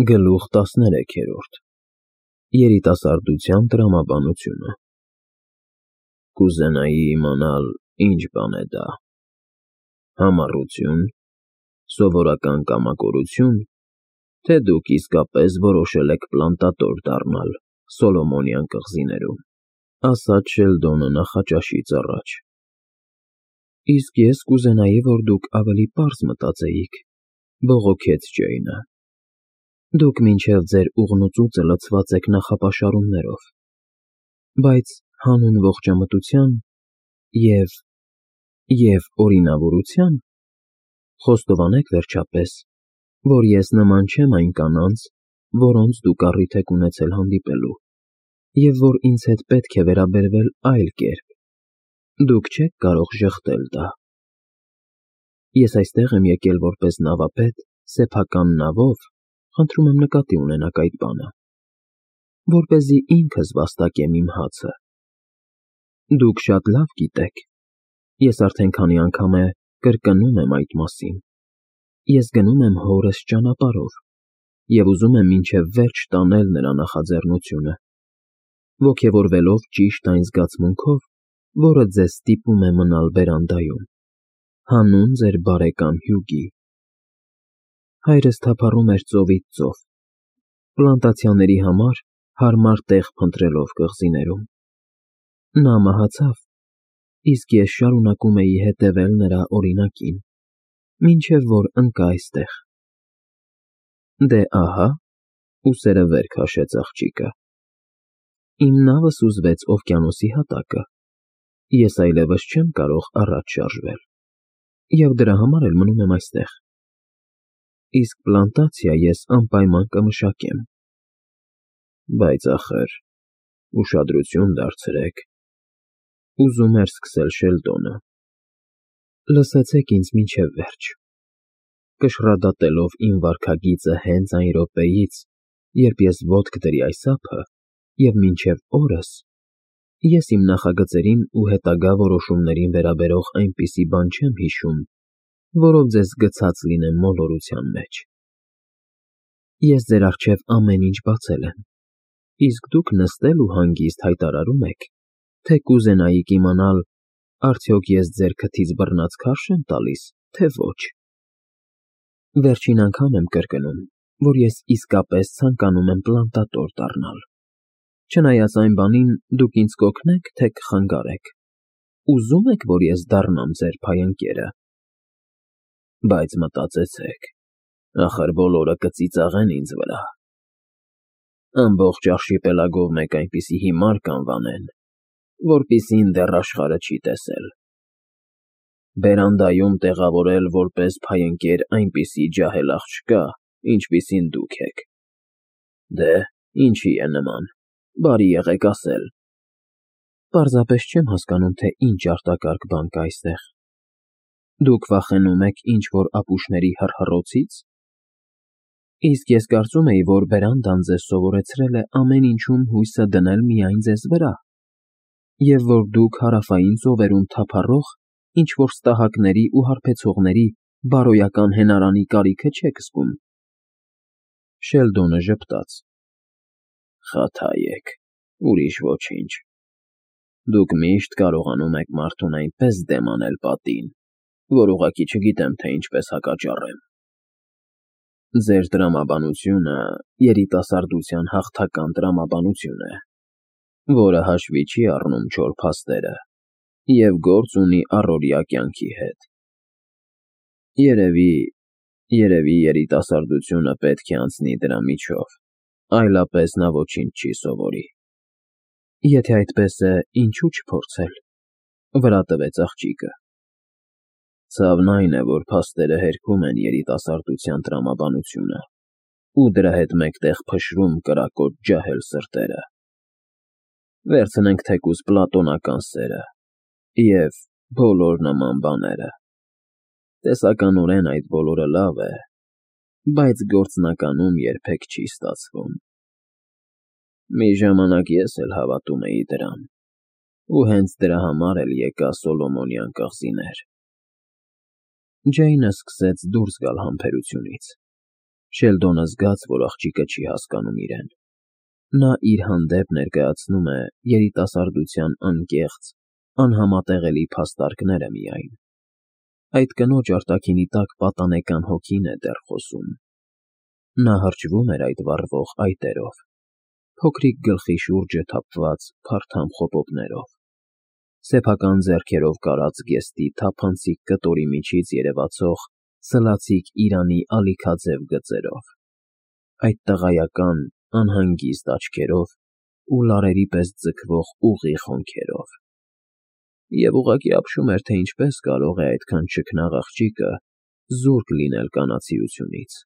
Գլուխ 13 Երիտասարդության տրամաբանությունը Կուզենայի իմանալ ինչ բան է դա, համառություն, սովորական կամակորություն, թե դուք իսկապես որոշել եք պլանտատոր դառնալ Սոլոմոնյան կղզիներում, ասաց Շելդոնը նախաճաշից առաջ։ Իսկ ես կուզենայի, որ դուք ավելի պարզ մտածեիք, բողոքեց Ջեյնը։ Դուք մինչև ձեր ուղնուծուծը լցված եք նախապաշարումներով, բայց հանուն ողջամտության և օրինավորության խոստովանեք վերջապես, որ ես նման չեմ այն կանանց, որոնց դուք առիթ եք ունեցել հանդիպելու, և որ ինձ հետ պետք է վերաբերվել այլ կերպ, դուք չեք կարող ժխտել դա։ Ես այստեղ եմ եկել որպես նավապետ սեփական նավով, խնդրում եմ նկատի ունենաք այդ բանը, որպեսզի ինքս վաստակեմ իմ հացը։ Դուք շատ լավ գիտեք, ես արդեն քանի անգամ է կրկնում եմ այդ մասին, ես գնում եմ հորս ճանապարհով և ուզում եմ մինչև վերջ տանել նրա նախաձեռնությունը, ոգևորվելով ճիշտ այն զգացմունքով, որը ձեզ ստիպում է մնալ բերանդայում, հանուն ձեր բարեկամ Հյուգի։ Հայրս թափառում էր ծովից ծով, պլանտացիաների համար հարմար տեղ փնտրելով կղզիներում։ Նա մահացավ, իսկ ես շարունակում էի հետևել նրա օրինակին, մինչև որ ընկա այստեղ։ Դե ահա, ուսերը վեր քաշեց աղջիկը, իմ նավը սուզվեց օվկիանոսի հատակը, ես այլևս չեմ կարող առաջ շարժվել, և դրա համար էլ մնում եմ այստեղ։ Իսկ պլանտացիա ես անպայման կմշակեմ։ Բայց ախր, ուշադրություն դարձրեք, ուզում էր սկսել Շելդոնը։ Լսեցեք ինձ մինչև վերջ, կշռադատելով իմ վարքագիծը հենց այն րոպեից, երբ ես ոտք դրի այս ափը, և մինչև օրս, ես իմ նախագծերին ու հետագա որոշումներին վերաբերող այնպիսի բան չեմ հիշում, որով ձեզ գցած լինեմ մոլորության մեջ։ Ես ձեր առջև ամեն ինչ բացել եմ, իսկ դուք նստել ու հանգիստ հայտարարում եք, թե կուզենայիք իմանալ, արդյոք ես ձեր քթից բռնած քարշ եմ տալիս, թե ոչ։ Վերջին անգամ եմ կրկնում, որ ես իսկապես ցանկանում եմ պլանտատոր դառնալ։ Չնայած այն բանին, դուք ինձ կօգնեք, թե կխանգարեք։ Ուզո՞ւմ եք, որ ես դառնամ ձեր փայընկերը։ Բայց մտածեցեք, ախր բոլորը կծիծաղեն ինձ վրա։ Ամբողջ արշիպելագով մեկ այնպիսի հիմար կանվանեն, որպիսին դեռ աշխարհը չի տեսել։ Բերանդայում տեղավորել որպես փայընկեր այնպիսի ջահել աղջկա, ինչպիսին դուք եք։ Դե, ինչի է նման, բարի եղեք ասել։ Պարզապես չեմ հասկանում, թե ինչ արտակարգ բան կա այստեղ։ Դուք վախենում եք ինչ-որ ապուշների հռհռոցի՞ց։ Իսկ ես կարծում էի, որ բերանդան ձեզ սովորեցրել է ամեն ինչում հույսը դնել միայն ձեզ վրա, և որ դուք հարավային ծովերում թափառող ինչ-որ ստահակների ու հարբեցողների բարոյական հենարանի կարիքը չեք զգում։ Շելդոնը ժպտաց։ Խաթայեք, ուրիշ ոչինչ։ Դուք միշտ կարողանում եք մարդուն այնպես դեմ անել պատին, որ ուղղակի չգիտեմ, թե ինչպես հակաճառեմ։ Ձեր տրամաբանությունը երիտասարդության հաղթական տրամաբանություն է, որը հաշվի չի առնում չոր փաստերը և գործ ունի առօրյա կյանքի հետ։ Երևի երիտասարդությունը պետք է անցնի դրա միջով, այլապես նա ոչինչ չի սովորի։ Եթե այդպես է, ինչու չփորձել, վրա տվեց աղջիկը։ Ցավն այն է, որ փաստերը հերքում են երիտասարդության տրամաբանությունը ու դրա հետ մեկտեղ փշրում կրակոտ ջահել սրտերը։ Վերցնենք թեկուզ պլատոնական սերը և բոլոր նման բաները։ Տեսականորեն այդ բոլորը լավ է, բայց գործնականում երբեք չի ստացվում։ Մի ժամանակ ես էլ հավատում էի դրան, ու հենց դրա համար էլ եկա Սոլոմոնյան կղզիներ։ Ջեյնը սկսեց դուրս գալ համբերությունից։ Շելդոնը զգաց, որ աղջիկը չի հասկանում իրեն։ Նա իր հանդեպ ներկայացնում է երիտասարդության անկեղծ, անհամատեղելի փաստարկները միայն։ Այդ կնոջ արտաքինի տակ պատանեկան հոգին է դեռ խոսում։ Նա հրճվում էր այդ վառվող այտերով, փոքրիկ գլխի շուրջը թափված փարթամ խոպոպներով, սեփական ձեռքերով կարած գեստի թափանցիկ կտորի միջից երևացող սլացիկ Իրանի ալիքաձև գծերով, այդ տղայական, անհանգիստ աչքերով ու լարերի պես ձգվող ուղիղ հոնքերով։ Եվ ուղղակի ապշում էր, թե ինչպես կարող է այդքան չքնաղ աղջիկը զուրկ լինել կանացիությունից։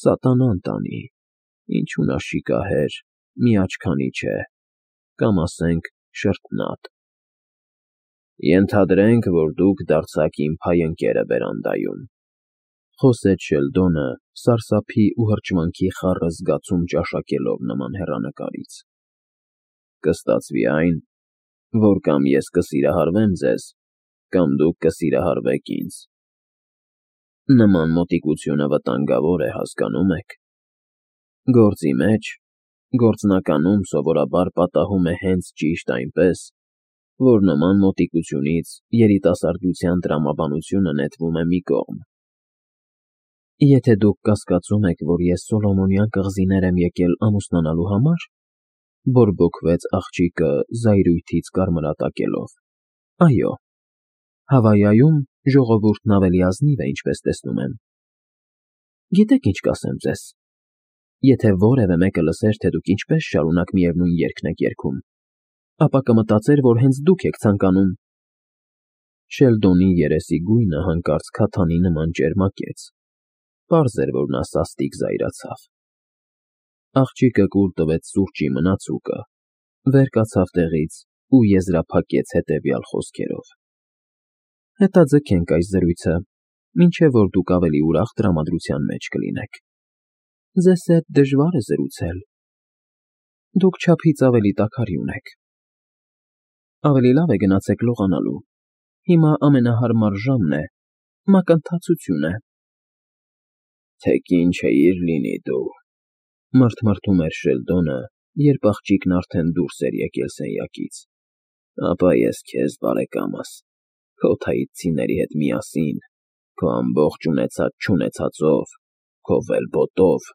Սատանան տանի, ինչու նա շիկահեր, միաչքանի չէ, կամ ասենք շրթնատ։ Ենթադրենք, որ դուք դարձաք իմ փայընկերը բերանդայում, խոսեց Շելդոնը, սարսափի ու հրճվանքի խառը զգացում ճաշակելով նման հեռանկարից։ Կստացվի այն, որ կամ ես կսիրահարվեմ ձեզ, կամ դուք կսիրահարվեք ինձ։ Նման մոտիկությունը վտանգավոր է, հասկանում եք։ Գործի մեջ, գործնականում սովորաբար պատահում է հենց ճիշտ այնպես, որ նման մոտիկությունից երիտասարդության տրամաբանությունը նետվում է մի կողմ։ Եթե դուք կասկածում եք, որ ես Սոլոմոնյան կղզիներ եմ եկել ամուսնանալու համար, բորբոքվեց աղջիկը զայրույթից կարմրատակելով։ Այո, Հավայայում ժողովուրդն ավելի ազնիվ է, ինչպես տեսնում եմ։ Գիտեք ինչ կասեմ ձեզ, եթե որևէ մեկը լսեր, թե դուք ինչպես շարունակ միևնույն երգն եք երգում, ապա կմտածեր, որ հենց դուք եք ցանկանում։ Շելդոնի երեսի գույնը հանկարծ քաթանի նման ճերմակեց։ Պարզ էր, որ նա սաստիկ զայրացավ։ Աղջիկը կուլ տվեց սուրճի մնացուկը, վեր կացավ տեղից ու եզրափակեց հետևյալ խոսքերով. Հետաձգենք այս զրույցը, մինչև որ դուք ավելի ուրախ տրամադրության մեջ կլինեք։ Ձեզ հետ դժվար է զրուցել։ Դուք չափից ավելի տաքարի ունեք։ Ավելի լավ է գնացեք լողանալու։ Հիմա ամենահարմար ժամն է, մակընթացություն է։ Թեկին չէիր լինի դու, մռթմռթում էր Շելդոնը, երբ աղջիկն արդեն դուրս էր եկել սենյակից։ Ապա ես քեզ, բարեկամս, քո թայծիների հետ միասին, քո ամբողջ ունեցած-չունեցածով, քո ველբոտով,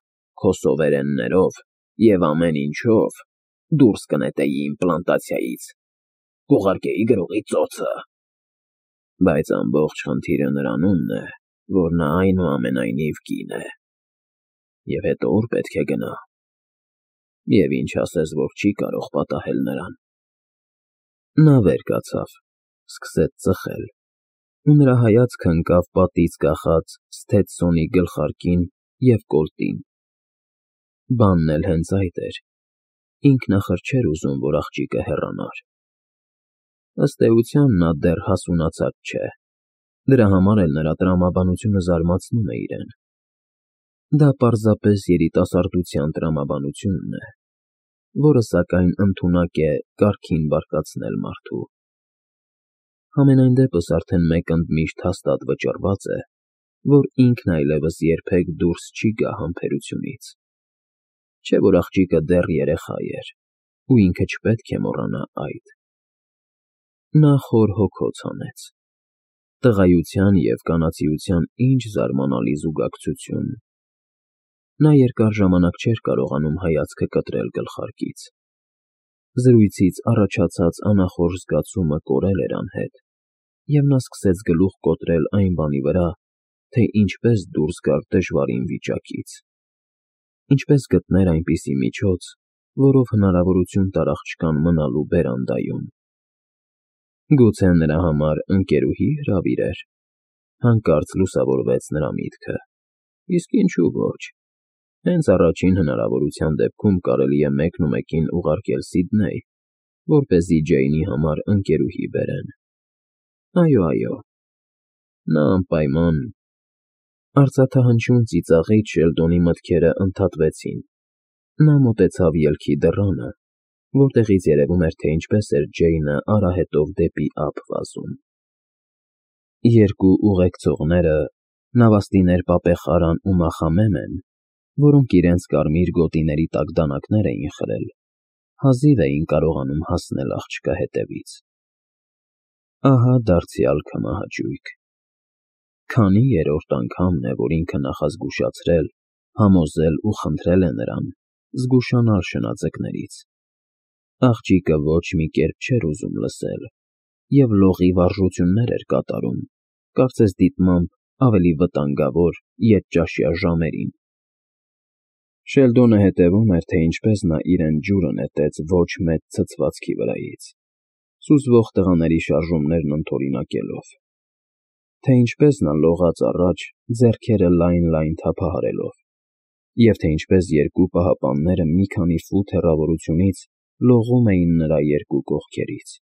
քո սովերեններով և ամեն ինչով դուրս կնետեի իմ պլանտացիայից, կուղարկեի գրողի ծոցը։ Բայց ամբողջ խնդիրը նրանումն է, որ նա այնուամենայնիվ կին է։ Եվ հետո ուր պետք է գնա։ Եվ ինչ ասես, որ չի կարող պատահել նրան։ Նա վեր կացավ, սկսեց ծխել, ու նրա հայացքը ընկավ պատից կախած Սթեցսոնի գլխարկին և կոլտին։ Բանն էլ հենց այդ էր։ Ինքն ախր չէր ուզում, որ աղջիկը հեռանար։ Ըստ էության, նա դեռ հասունացած չէ։ Դրա համար էլ նրա տրամաբանությունը զարմացնում է իրեն։ Դա պարզապես երիտասարդության տրամաբանությունն է, որը սակայն ընդունակ է կարգին բարկացնել մարդու։ Համենայն դեպս արդեն մեկ ընդմիշտ հաստատ վճռված է, որ ինքն այլևս երբեք դուրս չի գա համբերությունից։ Չէ՞ որ աղջիկը դեռ երեխա էր, ու ինքը չպետք է մոռանա այդ։ Նա խոր հոգոց հանեց։ Տղայության և կանացիության ինչ զարմանալի զուգակցություն։ Նա երկար ժամանակ չէր կարողանում հայացքը կտրել գլխարկից։ Զրույցից առաջացած անախորժ զգացումը կորել էր անհետ, և նա սկսեց գլուխ կոտրել այն բանի վրա, թե ինչպես դուրս գար դժվարին վիճակից։ Ինչպես գտներ այնպիսի միջոց, որով հնարավորություն տար աղջկան մնալու բերանդայում։ Գուցե նրա համար ընկերուհի հրավիրեր։ Հանկարծ լուսավորվեց նրա միտքը։ Իսկ ինչու ոչ։ Հենց առաջին հնարավորության դեպքում կարելի է մեկնումեկին ուղարկել Սիդնեյ, որպեսզի Ջեյնի համար ընկերուհի բերեն։ Այո, նա անպայման… Արծաթահնչյուն ծիծաղից Շելդոնի մտքերը ընդհատվեցին։ Նա մոտեցավ ելքի դռանը, որտեղից երևում էր, թե ինչպես էր Ջեյնը արահետով դեպի ափ վազում։ Երկու ուղեկցողները Նավաստիներ Պապեխարան ու Մախամեմեն, որոնք իրենց կարմիր գոտիների տակ դանակներ էին խրել, հազիվ էին կարողանում հասնել աղջկա հետևից։ Ահա դարձյալ քմահաճույք։ Քանի երրորդ անգամն է, որ ինքը նախազգուշացրել, համոզել ու խնդրել է նրան զգուշանալ շնաձկներից։ Աղջիկը ոչ մի կերպ չէր ուզում լսել և լողի վարժություններ էր կատարում, կարծես դիտմամբ ավելի վտանգավոր ետճաշյա ժամերին։ Շելդոնը հետևում էր, թե ինչպես նա իրեն ջուրը նետեց ոչ մեծ ցցվածքի վրայից, սուզվող տղաների շարժումներն ընդօրինակելով, թե ինչպես նա լողաց առաջ, ձեռքերը լայն թափահարելով, և թե ինչպես երկու պահապանները մի քանի ֆուտ հեռավորությունից լողում էին նրա երկու կողքերից։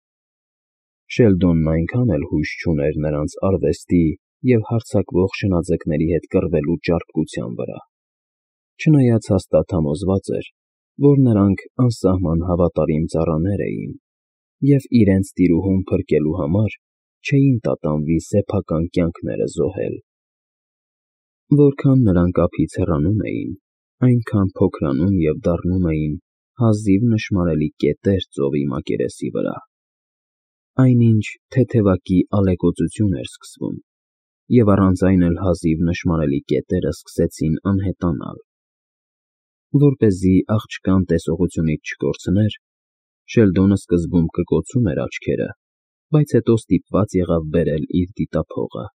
Շելդոնն այնքան էլ հույս չուներ նրանց արվեստի և հարձակվող շնաձկների հետ կռվելու ճարպկության վրա, չնայած հաստատ համոզված էր, որ նրանք անսահման հավատարիմ ծառաներ էին և իրենց տիրուհուն փրկելու համար չէին տատանվի սեփական կյանքները զոհել։ Որքան նրանք ափից հեռանում էին, այնքան փոքրանում և դառնում էին հազիվ նշմարելի կետեր ծովի մակերեսի վրա։ Այնինչ թեթևակի ալեկոծություն էր սկսվում, և առանց այն էլ հազիվ նշմարելի կետերը սկսեցին անհետանալ։ Որպեսզի աղջկան տեսողությունից չկորցներ, Շելդոնը սկզբում կկոցում էր աչքերը, բայց հետո ստիպված եղավ բերել իր դիտափողը։